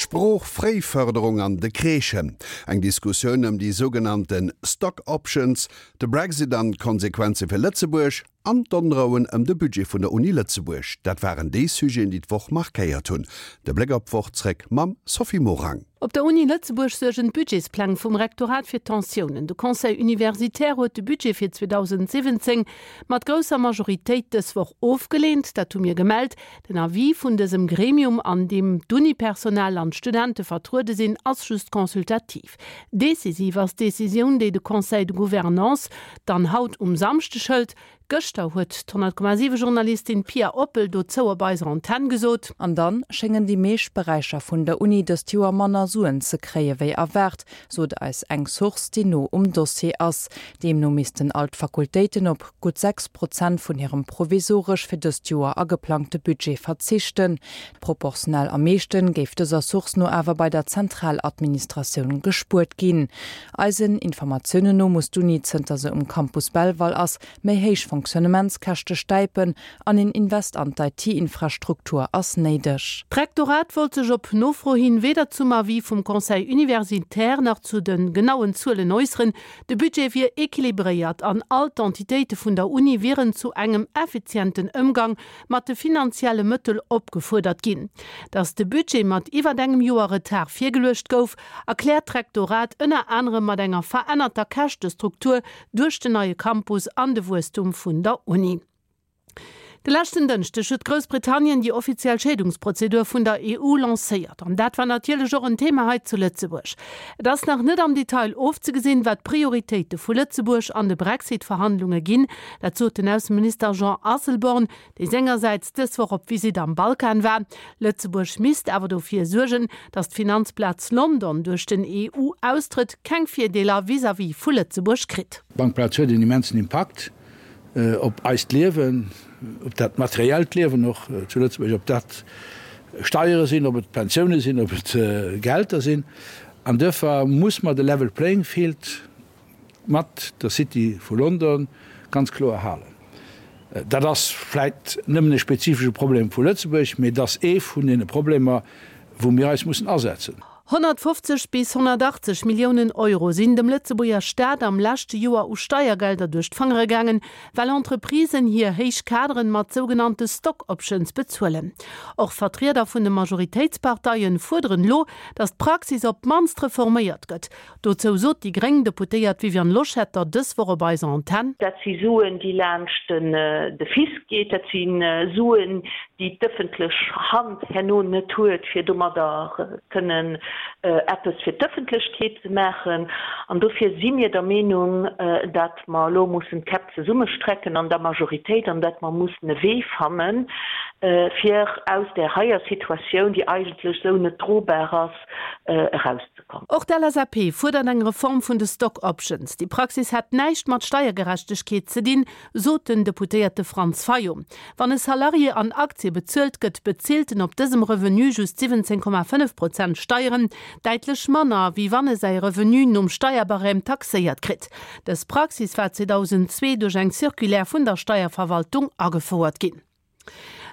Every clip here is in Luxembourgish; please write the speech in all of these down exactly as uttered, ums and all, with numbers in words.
D'Sprooch-Fréifërderung an de Crèchen, eng Diskussioun ëm déi sougenannte Stock Options, de Brexit an d'Konsequenze fir Lëtzebuerg an d'Onrouen ëm de Budget vun der Uni Lëtzebuerg, dat waren déi Sujeten, déi d'Woch markéiert hunn. De Bléck op d'Woch zréck mam Sophie Morang. Op der Uni Lëtzebuerg suergen d'Budgetspläng vum Rektorat fir Tensiounen. De Conseil universitaire huet de Budget fir zweedausendsiwwenzéng mat grousser Majoritéit dës Woch ofgeleent. Dat hu mir gemellt. Den Avis vun dësem Gremium, an deem d'Uni-Personal an d'Studente vertruede sinn, ass just consultativ. Decisiv ass d'Decisioun, déi de Conseil de Gouvernance dann haut um Samschdeg hëlt. Gëschter huet d'honnert Komma siwe Journalistin Pia Oppel dozou op eiser Antenn gesot. An dann schéngen déi meescht Beräicher vun der Uni dëst Joer manner Suen ze kréie wéi erwaart, sot eis eng Source, déi no um Dossier ass. Deemno missten all d'Fakultéiten op gutt sechs Prozent vun hirem provisoresch fir dëst Joer ageplangte Budget verzichten. Proportionell am meeschten géif dëser Source no awer bei der Zentraladministratioun gespuert ginn. Eisen Informatiounen no muss d'Uni, zënter se um Campus Belval ass, méi héich Fonctionnementskäschte stäipen an een Invest an d'IT-Infrastruktur ass néideg. D'Rektorat wollt sech op Nofro hin weder zum Avis vum Conseil universitaire nach zu de genauen Zuelen äusseren. De Budget wier equilibréiert an all d'Entitéite vun der Uni wieren zu engem effizienten Ëmgang mat de finanzielle Mëttel opgefuerdert ginn. Datt de Budget mat iwwert engem Joer Retard virgeluecht gouf, erkläert d'Rektorat ënner anerem mat enger verännerter Käschtestruktur duerch den neie Campus an de Wuesstum vun der Uni. De leschten Dënschdeg huet Groussbritannien déi offiziell Scheedungsprozedur vun der E U lancéiert. An dat war natierlech och en Thema hei zu Lëtzebuerg. Et ass nach net am Detail ofzegesinn, wat d'Prioritéite vu Lëtzebuerg an de Brexit-Verhandlunge ginn. Dat sot den Ausseminister Jean Asselborn, dee sengersäits dës Woch op Visitt am Balkan war. Lëtzebuerg misst awer dofir suergen, datt d'Finanzplaz London duerch den E U-Austrëtt keng Virdeeler vis-à-vis vu Lëtzebuerg kritt. D'Bankplaz huet en immensen Impakt op eist Liewen, op dat materiellt Liewen och zu Lëtzebuerg, ob dat Steiere sinn, ob et Pensioune sinn, ob et Gehälter sinn. An duerfir muss mer de Level Playing Field mat der City vu London ganz kloer halen. Dat ass vläicht nëmmen e spezifesche Problem vu Lëtzebuerg, mee et ass ee vun deene Problemer, wou mir eis mussen asetzen. Honnertfofzeg bis honnertachtzeg Milliounen Euro sinn dem Lëtzebuerger Staat am leschte Joer u Steiergelder duerch d'Fangere gaangen, well Entreprisen hir héich Kaderen mat sougenannte Stock Options bezuelen. Och Vertrieder vun de Majoritéitsparteien fuerderen elo, datt d'Praxis op d'mannst reforméiert gëtt. Dozou sot déi gréng Deputéiert Viviane Loschetter dës Woch op eiser Antenn. Dat si Suen, déi laanscht de Fisc geet. Dat si Suen, déi d'ëffentlech Hand herno net huet, fir domadder kënnen eppes fir d'Ëffentlechkeet ze maachen. An dofir si mir der Meenung, datt mer elo mussen d'Käpp zesummestrecken an der Majoritéit an datt mer mussen e Wee fannen, fir aus där heier Situatioun, déi eigentlech esou net drobar ass, erauszekommen. Och d'L S A P fuerdert eng Reform vun de Stock Options. Déi Praxis hätt näischt mat Steiergerechtegkeet ze dinn, sot den Deputéierte Franz Fayot. Wann e Salarié an Aktie bezuelt gëtt, bezilt en op dësem Revenu just siwwenzéng Komma fënnef Prozent Steieren, däitlech manner, wéi wann e säi Revenu nom Steierbarème taxéiert kritt. Dës Praxis war zweedausendzwee duerch eng Circulaire vun der Steierverwaltung agefouert ginn.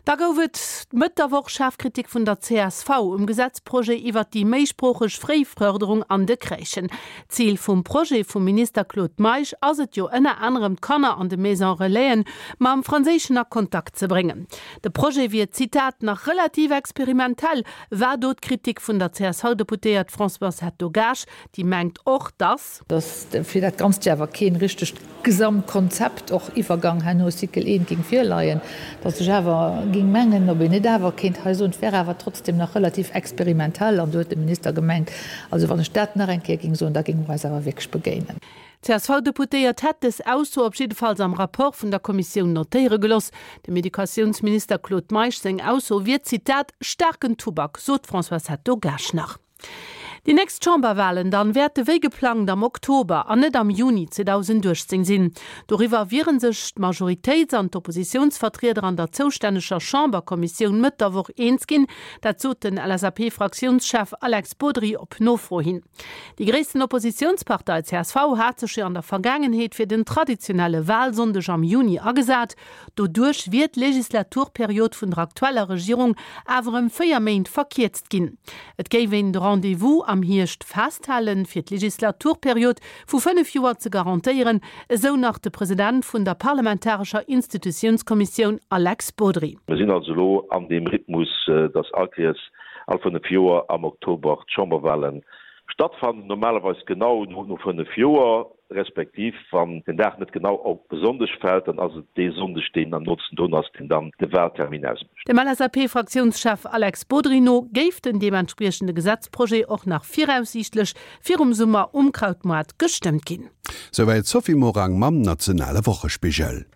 Da gouf et Mëtt der Woch schaarf Kritik vun der C S V um Gesetzprojet iwwert déi méisproocheg Fréifërderung an de Crèchen. Zil vum Projet vum Minister Claude Meisch ass et jo ënner anerem d'Kanner an de Maison-relaisen mam Franséischen a Kontakt ze bréngen. De Projet wier, Zitat, nach relativ experimentell, war do d'Kritik vun der C S V-Deputéiert Françoise Hetto-Gaasch, déi mengt och, dass. Dass fir dat Ganzt jo awer keen richtegt Gesamtkonzept, och Iwwergang herno Cycle eent, géing virleien, dass ech awer géing mengen, ob een net awer kéint hei soen, et wär awer trotzdem nach relativ experimentell. An do huet de Minister gemengt, also wann ech dat nach eng Kéier géing soen, da géinge mer eis awer wierklech begéinen. D'C S V-Deputéiert hätt dës Ausso op jiddefalls am Rapport vun der Kommissioun notéiere geloss. Dem Educatiounsminister Claude Meisch seng Ausso wier, Zitat, staarken Tubak, sot d'Françoise Hetto-Gaasch nach. Déi nächst Chamberwahlen dann wäerte wéi geplangt am Oktober an net am Juni zweedausendachtzéng sinn. Doriwwer wiere sech d'Majoritéits an d'Oppositiounsvertrieder an der zoustänneger Chamberkommissioun Mëtt der Woch eens ginn. Dat sot den L S A P-Fraktiounschef Alex Bodry op Nofro hin. Déi gréissten Oppositiounspartei C S V hat sech jo an der Vergaangenheet fir den traditionelle Wahlsonndeg am Juni agesat. Doduerch wier d'Legislaturperiod vun der aktueller Regierung awer ëm véier Méint verkierzt ginn. Et géif een de Rendez-vous am Hierscht festhalen, fir d'Legislaturperiod vu fënnef Joer ze garantéieren, esou nach de President vun der parlamentarescher Institutiounskommissioun Alex Bodry. Mir sinn also elo an deem Rhythmus, dass all Kéiers all fënnef Joer am Oktober d'Chamberwahlen stattfannen, normalerweis genau no fënnef Joer, respektiv wann den Dag net genau op e Sonndeg fält, dann ass et dee Sonndeg, deen am nootsten drun ass, deen dann de Wahltermin ausmécht. Dem L S A P-Fraktiounschef Alex Bodry no géif den deementspriechende Gesetzprojet och nach viraussiichtlech virum Summer um Krautmoart gestëmmt ginn. Souwäit d'Sophie Morang mam nationale Wochespigel.